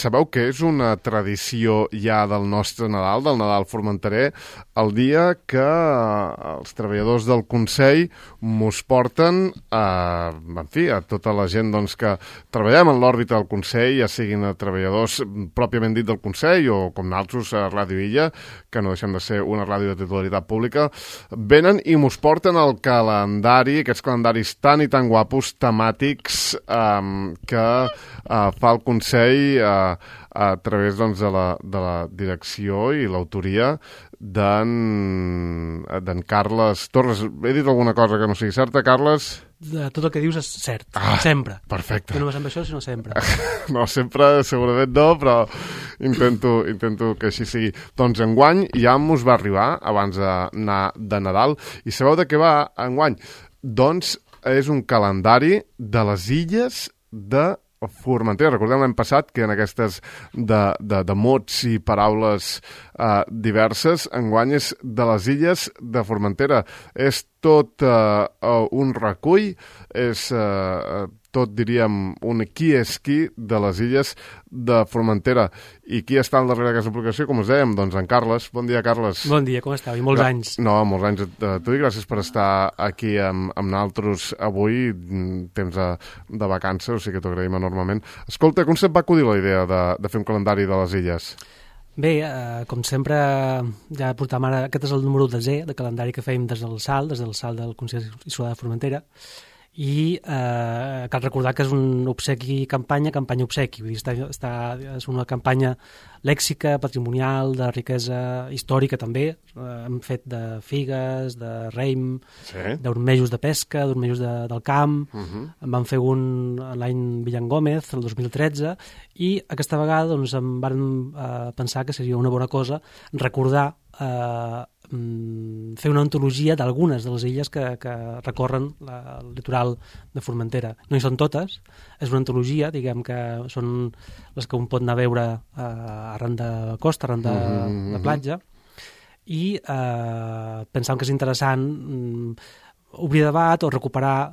sabeu que és una tradició ja del nostre Nadal, del Nadal formenterer, el dia que els treballadors del Consell mos porten a tota la gent doncs, que treballem en l'òrbita del Consell, ja siguin treballadors pròpiament dit del Consell o com nosaltres a Ràdio Illa, que no deixem de ser una ràdio de titularitat pública, venen i mos porten el calendari, aquests calendaris tan i tan guapos, temàtics, que fa el Consell a través doncs, de la direcció i l'autoria d'en Carles Torres. He dit alguna cosa que no sigui certa, Carles? Tot el que dius és cert, sempre. Perfecte. No només amb això, sinó sempre. No, sempre segurament no, però intento que així sigui. Doncs enguany ja mos va arribar, abans d'anar de Nadal, i sabeu de què va enguany? Doncs és un calendari de les illes de Formentera. Recordem l'any passat que en aquestes de mots i paraules diverses, enguany és de les illes de Formentera. És tot un recull, és tot, diríem, un qui és qui de les illes de Formentera. I qui està al darrere d'aquesta publicació? Com us dèiem, doncs en Carles. Bon dia, Carles. Bon dia, com esteu? I molts anys. No, molts anys a tu i gràcies per estar aquí amb nosaltres avui, temps de vacances, o sigui que t'ho agraïm enormement. Escolta, com se't va acudir la idea de fer un calendari de les illes? Bé, com sempre, ja portam ara, aquest és el número 10è de calendari que fèiem des del SAL del Consell Insular de Formentera, i cal recordar que és un obsequi campanya-obsequi, vull dir, és una campanya lèxica, patrimonial, de riquesa històrica també. Hem fet de figues, de raïm, d'ormejos de pesca, d'ormejos del camp. En vam fer un l'any Villan Gómez, el 2013, i aquesta vegada doncs, em vam pensar que seria una bona cosa recordar fer una antologia d'algunes de les illes que recorren el litoral de Formentera. No hi són totes, és una antologia, diguem que són les que un pot anar a veure arran de costa, arran de platja, i pensàvem que és interessant obrir debat o recuperar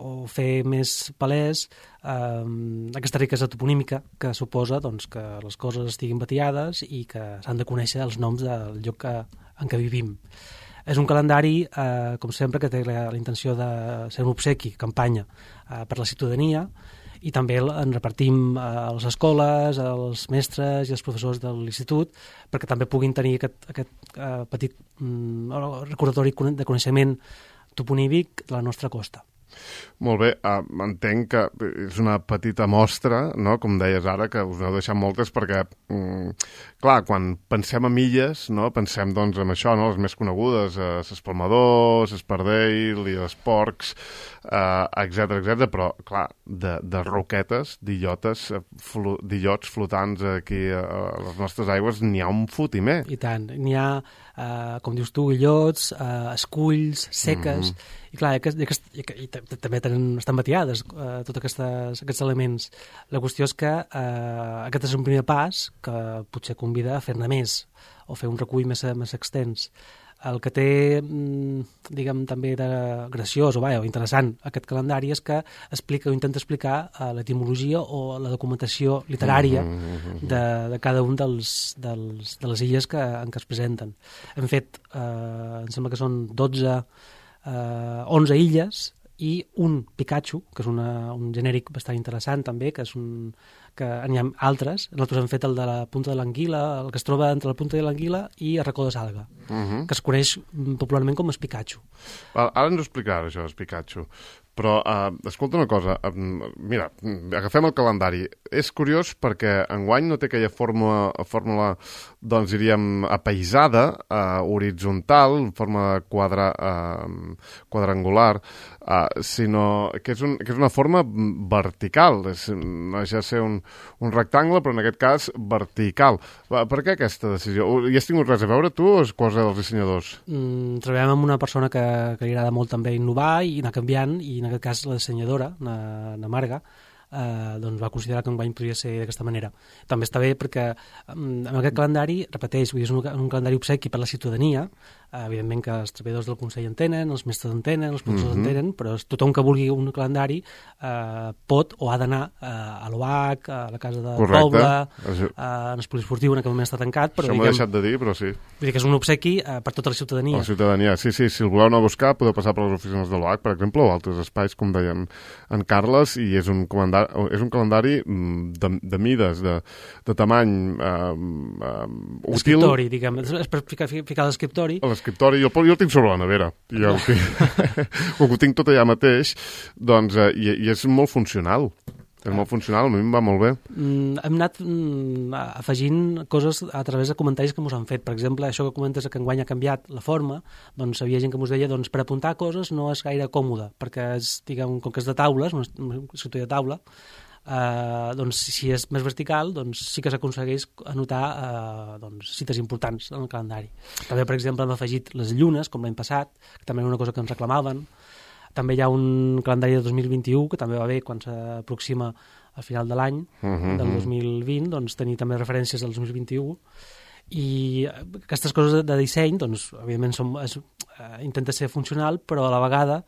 o fer més palès aquesta riquesa toponímica que suposa doncs, que les coses estiguin batllades i que s'han de conèixer els noms del lloc en què vivim. És un calendari, com sempre, que té la intenció de ser un obsequi, campanya, per la ciutadania, i també en repartim a les escoles, als mestres i als professors de l'institut, perquè també puguin tenir aquest petit recordatori de coneixement toponímic de la nostra costa. Molt bé, entenc que és una petita mostra, no? Com deies ara, que us n'heu deixat moltes perquè, clar, quan pensem en illes, no? Pensem doncs en això, no? Les més conegudes, l'Espalmador, l'Espardell i els Porcs, etc, però, clar, de roquetes, d'illots flotants aquí a les nostres aigües, n'hi ha un fotimer. I tant, n'hi ha, com dius tu, illots, esculls, seques, i clar, i també estan batllades tots aquests elements. La qüestió és que aquest és un primer pas que potser convida a fer-ne més o fer un recull més extens. El que té, diguem, també de graciós o interessant aquest calendari és que explica o intenta explicar l'etimologia o la documentació literària de cada un de les illes en què es presenten. Hem fet, em sembla que són 11 illes i un Pikachu, que és un genèric bastant interessant també, que n'hi ha altres. Nosaltres hem fet el de la punta de l'Anguila, el que es troba entre la punta de l'Anguila i el racó de Salga, que es coneix popularment com el Pikachu. Ara ens ho explicaràs, això, el Pikachu. Però, escolta una cosa, mira, agafem el calendari. És curiós perquè enguany no té aquella fórmula, doncs diríem, apaïsada, horitzontal, en forma quadrangular, sinó que és una forma vertical. No deixa de ser un rectangle, però en aquest cas vertical. Per què aquesta decisió? Hi has tingut res a veure, tu, o és cosa dels dissenyadors? Treballem amb una persona que li agrada molt també innovar i anar canviant, i en aquest cas la dissenyadora, na Marga, doncs va considerar que enguany podria ser d'aquesta manera. També està bé perquè amb aquest calendari, repeteix, és un calendari obsequi per la ciutadania, evidentment que els treballadors del Consell en tenen, els mestres en tenen, els professors en tenen, però tothom que vulgui un calendari pot o ha d'anar a l'OH, a la Casa de Poble, en el poliesportiu, en aquell moment està tancat. Però, això m'ho he deixat de dir, però sí. Vull dir que és un obsequi per tota la ciutadania. La ciutadania, sí, si el voleu anar a buscar, podeu passar per les oficines de l'OH, per exemple, o altres espais, com deien en Carles, i és un calendari de mides, de tamany útil. L'escriptori, diguem, és per ficar l'escriptori. L'escriptori, jo el tinc sobre la nevera, ho tinc tot allà mateix, doncs, i és molt funcional. És molt funcional, a mi em va molt bé. Hem anat afegint coses a través de comentaris que ens han fet. Per exemple, això que comentes que enguany ha canviat la forma, doncs hi havia gent que ens deia per apuntar coses no és gaire còmode, perquè és, diguem, com que és de taules, un escriptori de taula, doncs si és més vertical, doncs sí que s'aconsegueix anotar cites importants en el calendari. També, per exemple, hem afegit les llunes, com l'any passat, que també era una cosa que ens reclamaven. També hi ha un calendari de 2021, que també va bé quan s'aproxima al final de l'any, del 2020, doncs tenir també referències del 2021. I aquestes coses de disseny, doncs, evidentment, intenta ser funcional, però a la vegada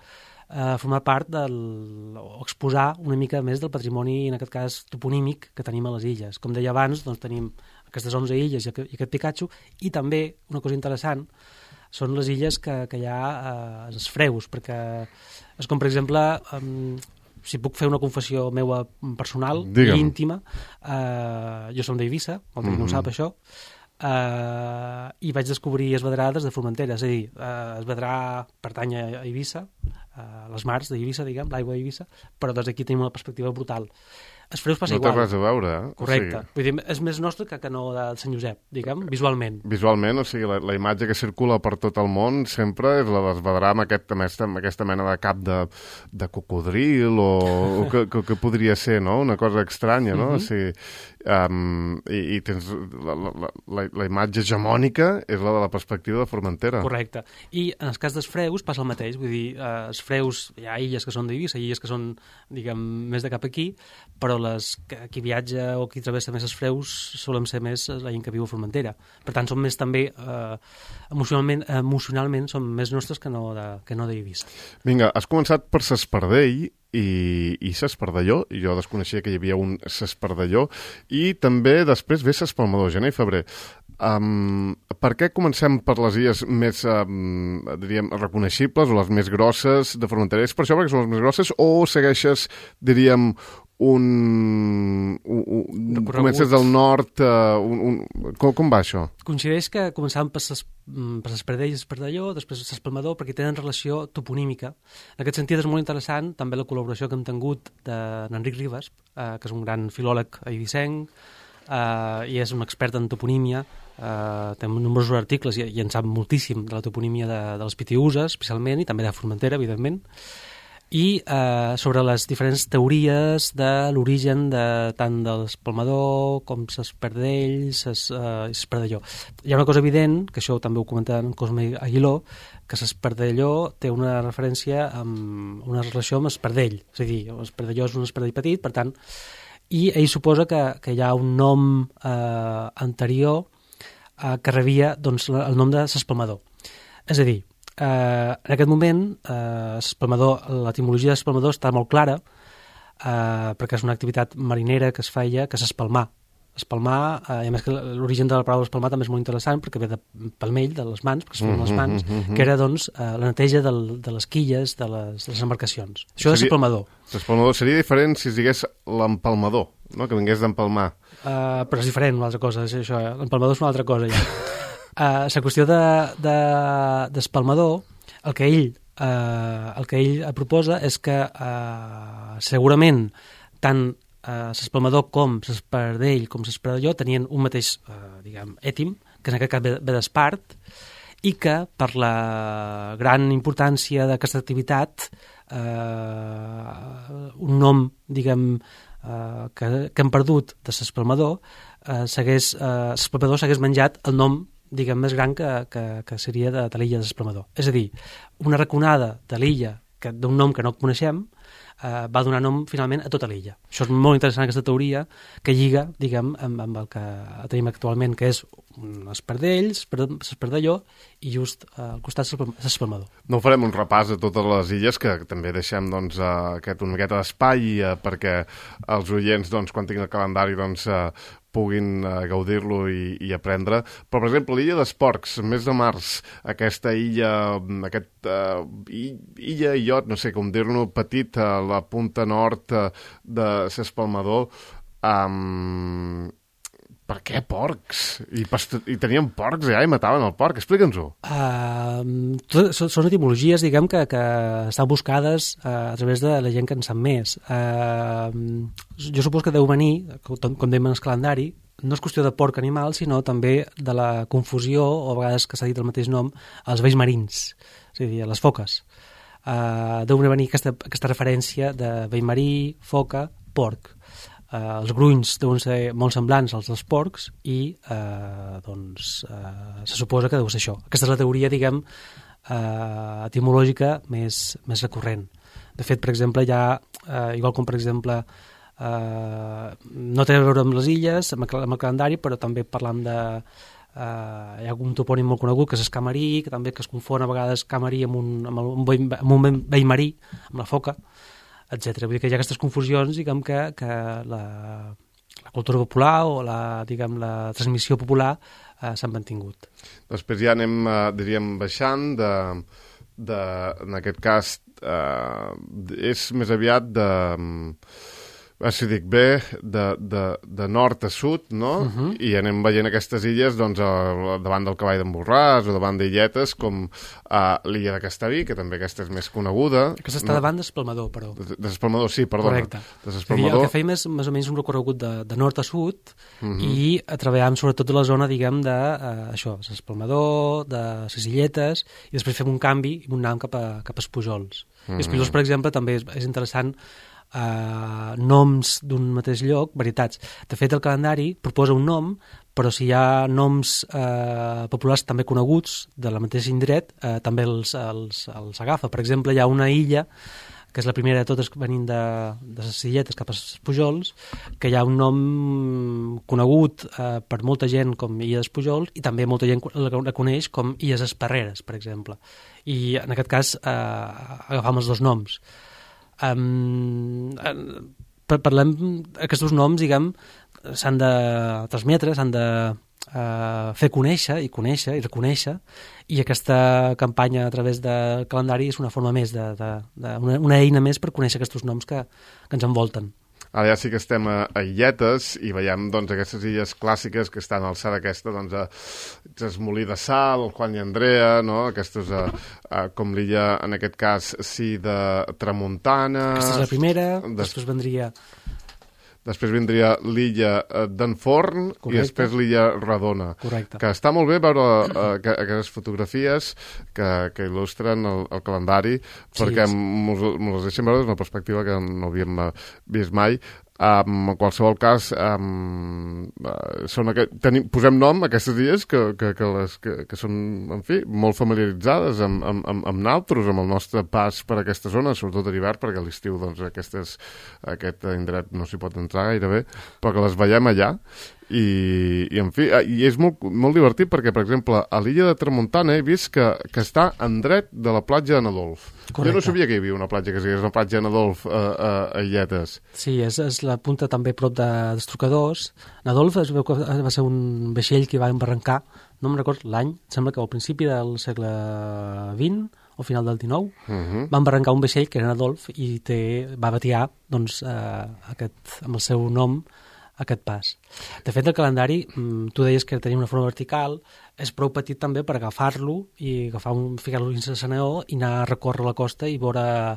formar part o exposar una mica més del patrimoni, en aquest cas toponímic, que tenim a les illes. Com deia abans, doncs tenim aquestes 11 illes i aquest Picatxo, i també, una cosa interessant, són les illes que hi ha els freus, perquè és com, per exemple, si puc fer una confessió meva personal i íntima, jo som d'Eivissa, molta gent no ho sap, això, i vaig descobrir Esvedrà des de Formentera, és a dir, Esvedrà pertany a Eivissa, a les mars d'Eivissa, diguem, l'aigua d'Eivissa, però des d'aquí tenim una perspectiva brutal. Els freus passa igual. No té res a veure, eh? Correcte. Vull dir, és més nostre que no de Sant Josep, diguem, visualment. Visualment, o sigui, la imatge que circula per tot el món sempre és la d'Esvedrà amb aquesta mena de cap de cocodril o que podria ser, no? Una cosa estranya, no? O sigui, i tens la imatge hegemònica és la de la perspectiva de Formentera. Correcte. I en el cas dels freus passa el mateix, vull dir, els freus, hi ha illes que són d'Eivissa, illes que són, diguem, més de cap aquí, però qui viatja o qui travessa més els freus solen ser més la gent que viu a Formentera. Per tant, són més també, emocionalment són més nostres que no d'Eivissa. Vinga, has començat per s'Espardell i s'Espardelló, i jo desconeixia que hi havia un s'Espardelló, i també després ve s'Espalmador, gener i febrer. Per què comencem per les illes més, diríem, reconeixibles o les més grosses de Formentera? És per això perquè són les més grosses o segueixes, diríem, comences del nord, com va això? Coincideix que començàvem per s'Espardell i s'Espardelló, després s'Espalmador, perquè tenen relació toponímica. En aquest sentit és molt interessant també la col·laboració que hem tingut d'Enric Ribas, que és un gran filòleg eivissenc, i és un expert en toponímia, té nombrosos articles i en sap moltíssim de la toponímia de les Pitiüses, especialment, i també de Formentera, evidentment, i sobre les diferents teories de l'origen tant de l'Espalmador com s'Espardell i s'Espardelló. Hi ha una cosa evident, que això també ho comenta en Cosme Aguiló, que s'Espardelló té una referència amb una relació amb Espardell, és a dir, l'Espardelló és un espardell petit, per tant, i ell suposa que hi ha un nom anterior que rebia doncs, el nom de s'Espalmador. És a dir, en aquest moment, l'etimologia d'espalmador està molt clara, perquè és una activitat marinera que es feia, que és espalmar. Espalmar, i a més que l'origen de la paraula espalmar també és molt interessant, perquè ve de palmell, de les mans, perquè es feien les mans, que era doncs, la neteja de les quilles de les embarcacions. Això és espalmador. L'espalmador seria diferent si es digués l'empalmador, no? Que vingués d'empalmar. Però és diferent, una altra cosa, això, l'empalmador és una altra cosa, ja. La qüestió d'espalmador, el que ell proposa és que segurament tant s'espalmador com s'espardell com s'espardelló tenien un mateix ètim, que en aquest cas ve d'espart, i que per la gran importància d'aquesta activitat un nom, diguem, que hem perdut de s'espalmador, s'espalmador s'hagués menjat el nom, diguem, més gran que seria de l'illa de s'Espalmador. És a dir, una raconada de l'illa d'un nom que no coneixem va donar nom finalment a tota l'illa. Això és molt interessant, aquesta teoria, que lliga, diguem, amb el que tenim actualment, que és un espardell, l'espardelló, i just al costat l'espalmador. No farem un repàs a totes les illes, que també deixem doncs, una miqueta d'espai perquè els oients, doncs, quan tinguin el calendari, doncs, puguin gaudir-lo i aprendre. Però, per exemple, l'illa d'Esporcs, mes de març, aquesta illa, illot, no sé com dir-ne, petit, a la punta nord de l'Espalmador. Per què porcs? I tenien porcs allà i mataven el porc. Explica'ns-ho. Són etimologies, diguem, que estan buscades a través de la gent que en sap més. Jo supos que deu venir, com dèiem en el calendari, no és qüestió de porc animal, sinó també de la confusió, o a vegades que s'ha dit el mateix nom, als vells marins, és a dir, a les foques. Deu venir aquesta referència de vell marí, foca, porc. Els grunys deuen ser molt semblants als dels porcs i se suposa que deu ser això. Aquesta és la teoria, diguem, etimològica més recurrent. De fet, per exemple, hi ha, igual com per exemple, no té a veure amb les illes, amb el calendari, però també parlant de... hi ha un topònim molt conegut que és Escamarí, que també es confon a vegades Camarí amb un vell marí, amb la foca, etc. Vull dir que hi ha aquestes confusions, diguem, que la cultura popular o la transmissió popular s'han mantingut. Després ja anem, diríem, baixant en aquest cas és més aviat si dic bé, de nord a sud, no? I anem veient aquestes illes doncs, davant del Cavall d'en Borràs o davant d'illetes com l'illa de Castellví, que també aquesta és més coneguda. Aquesta està davant d'Espalmador, però. D'Espalmador, sí, perdona. Correcte. El que fèiem és més o menys un recorregut de nord a sud i treballàvem sobretot la zona, diguem, d'Espalmador, de les illetes, i després fem un canvi i anàvem cap als Pujols. I els Pujols, per exemple, també és interessant noms d'un mateix lloc, varietats. De fet, el calendari proposa un nom, però si hi ha noms populars també coneguts de la mateixa indret, també els agafa. Per exemple, hi ha una illa, que és la primera de totes venint de les illetes cap als Pujols, que hi ha un nom conegut per molta gent com Illes Pujols i també molta gent la coneix com Illes Esparreres, per exemple. I en aquest cas agafam els dos noms. Parlem, aquests noms, diguem, s'han de transmetre, s'han de fer conèixer i reconèixer, i aquesta campanya a través del calendari és una forma més, una eina més per conèixer aquests noms que ens envolten. Ara ja sí que estem a illetes i veiem doncs, aquestes illes clàssiques que estan a l'alçada aquesta, doncs, Molí de Sal, el Juan i Andrea, no? Aquestes, com l'illa, en aquest cas, sí, de Tramuntana... Aquesta és la primera, Després vindria l'illa d'en Forn. Correcte. I després l'illa Redona. Correcte. Que està molt bé veure aquestes fotografies que il·lustren el calendari, perquè mos les deixen veure des d'una perspectiva que no havíem vist mai. En qualsevol cas, posem nom a aquestes illes que són, en fi, molt familiaritzades amb naltros, amb el nostre pas per aquesta zona, sobretot a l'hivern, perquè a l'estiu doncs, aquest indret no s'hi pot entrar gairebé, però que les veiem allà. I en fi, i és molt, molt divertit perquè, per exemple, a l'illa de Tramuntana he vist que està en dret de la platja de Nadolf. Correcte. Jo no sabia que hi havia una platja que és una platja de Nadolf a Illetes. Sí, és la punta també prop dels Trocadors. Nadolf es veu que va ser un vaixell que va embarrancar, no em record l'any, sembla que al principi del segle XX o final del XIX, va embarrancar un vaixell que era Nadolf i va batear doncs, amb el seu nom aquest pas. De fet, el calendari, tu deies que tenia una forma vertical, és prou petit també per agafar-lo i ficar-lo dins el saneó i anar a recórrer la costa i veure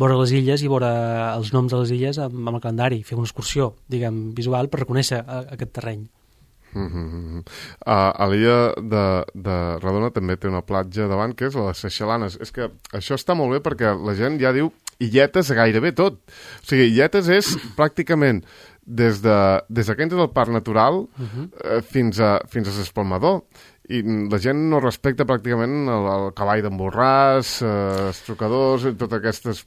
les illes i veure els noms de les illes amb el calendari, fer una excursió, diguem, visual per reconèixer aquest terreny. A l'illa de Redona també té una platja davant, que és la de Seixalanes. És que això està molt bé perquè la gent ja diu illetes a gairebé tot. O sigui, illetes és pràcticament des que entres al Parc Natural fins a l'Espalmador. i la gent no respecta pràcticament el cavall d'en Borràs, els trucadors, totes aquestes...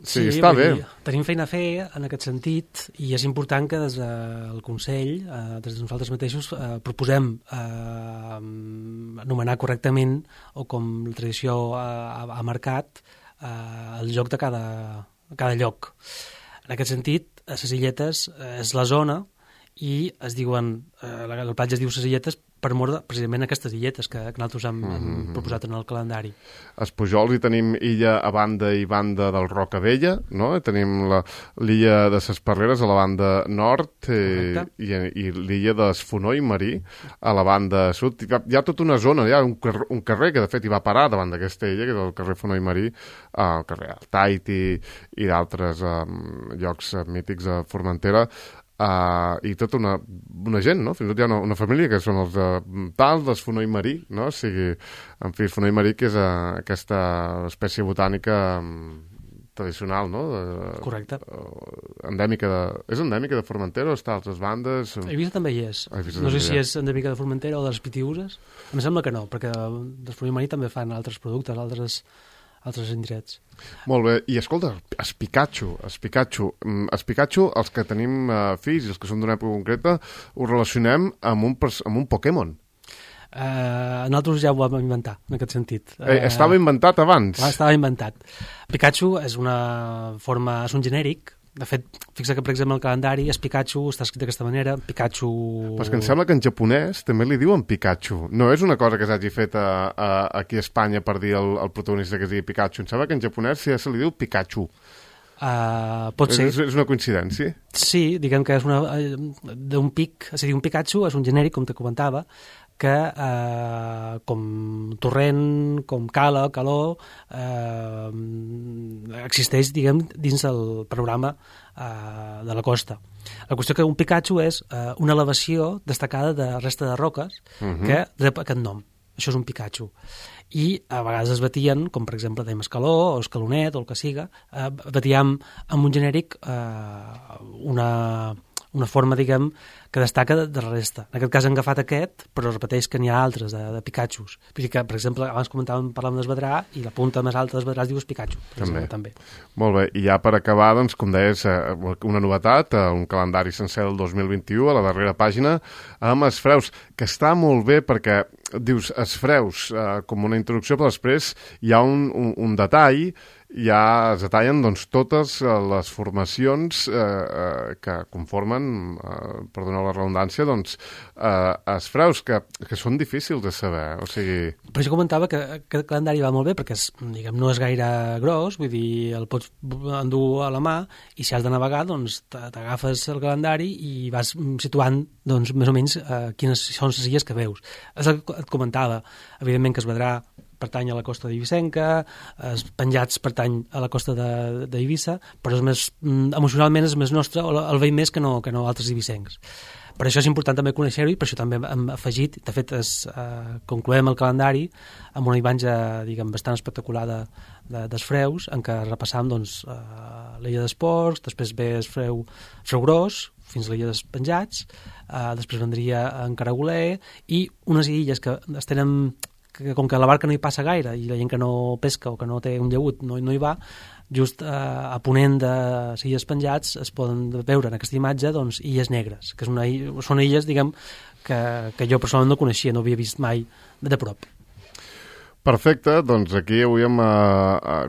Sí, està bé. Tenim feina a fer en aquest sentit i és important que des del Consell, des de nosaltres mateixos, proposem anomenar correctament, o com la tradició ha marcat, el lloc de cada lloc. En aquest sentit, a Ses Illetes és la zona i es diuen, el platge es diu Ses Illetes per mort precisament aquestes illetes que nosaltres hem proposat en el calendari. Els Pujols hi tenim illa a banda i banda del Rocavella, no? Tenim l'illa de Ses Parreres a la banda nord i l'illa de Fonoi Marí a la banda sud. Hi ha tota una zona, hi ha un carrer que de fet hi va parar davant d'aquesta illa, que és el carrer Fonoi Marí, el carrer Altaiti i d'altres llocs mítics a Formentera, i tota una gent, no? Fins i tot hi ha una família que són els tals, dels Fonoi Marí, no? O sigui, en fi, Fonoi Marí, que és aquesta espècie botànica tradicional, no? Correcte. És endèmica de Formentera o està a altres bandes? A Eivissa també hi és. No sé si és endèmica de Formentera o de les Pitiüses. Em sembla que no, perquè dels Fonoi Marí també fan altres productes, altres indrets. Molt bé. I escolta, Espicatxo, els que tenim fills i els que són d'una època concreta, ho relacionem amb un Pokémon. Nosaltres ja ho vam inventar, en aquest sentit. Estava inventat abans? Estava inventat. Pikachu és un genèric. De fet, fixa que, per exemple, el calendari és Pikachu, està escrit d'aquesta manera, Pikachu... Però és que em sembla que en japonès també li diuen Pikachu. No és una cosa que s'hagi fet aquí a Espanya per dir al protagonista que es digui Pikachu. Em sembla que en japonès sí se li diu Pikachu. Pot ser. És una coincidència? Sí, diguem que és d'un pic, és a dir, un Pikachu és un genèric, com te comentava, que com torrent, com cala, calor, existeix, diguem, dins el panorama de la costa. La qüestió que un Pikachu és una elevació destacada de resta de roques que rep aquest nom. Això és un Pikachu. I a vegades es batien, com per exemple dèiem escaló o escalonet o el que siga, batíem amb un genèric una forma, diguem, que destaca de la resta. En aquest cas han agafat aquest, però repeteix que n'hi ha altres de Pikachus. Vull dir que, per exemple, abans parlàvem d'esvedrà i la punta més alta d'esvedrà es diu Pikachu. També. Molt bé. I ja per acabar, doncs, com deies, una novetat, un calendari sencer del 2021, a la darrera pàgina, amb els freus, que està molt bé perquè dius els freus com una introducció, però després hi ha un detall, ja es detallen doncs, totes les formacions que conformen, per donar la redundància, doncs, els freus, que són difícils de saber. O sigui... Per això comentava que aquest calendari va molt bé, perquè diguem, no és gaire gros, vull dir, el pots endur a la mà, i si has de navegar, doncs t'agafes el calendari i vas situant, doncs, més o menys quines són les illes que veus. És el que et comentava, evidentment que es vedrà pertany a la costa d'Eivissenca, els penjats pertany a la costa d'Eivissa, però és més, emocionalment és més nostre, o el veiem més que no altres eivissencs. Per això és important també conèixer-ho i per això també hem afegit, de fet concloem el calendari amb una imatge, diguem, bastant espectacular dels freus, en què repassam doncs, l'illa d'Esports, després ve el freu gros, fins a l'illa dels penjats, després vendria en Caragoler, i unes illes que es tenen, que com que la barca no hi passa gaire i la gent que no pesca o que no té un llaüt no hi va, just a ponent de Illes Penjats es poden veure en aquesta imatge doncs, illes negres, que són illes, diguem, que jo personalment no coneixia, no havia vist mai de prop. Perfecte, doncs aquí avui hem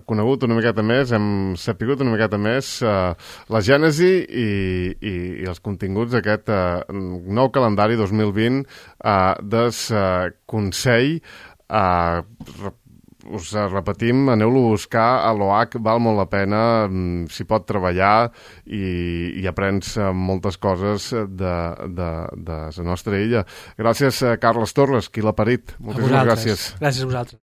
conegut una miqueta més, hem sapigut una miqueta més la gènesi i els continguts d'aquest nou calendari 2020 del Consell. Us repetim, aneu-lo a buscar a l'OH, val molt la pena, s'hi pot treballar i aprens moltes coses de la nostra illa. Gràcies, Carles Torres, qui l'ha parit. Moltíssimes gràcies. Gràcies a vosaltres.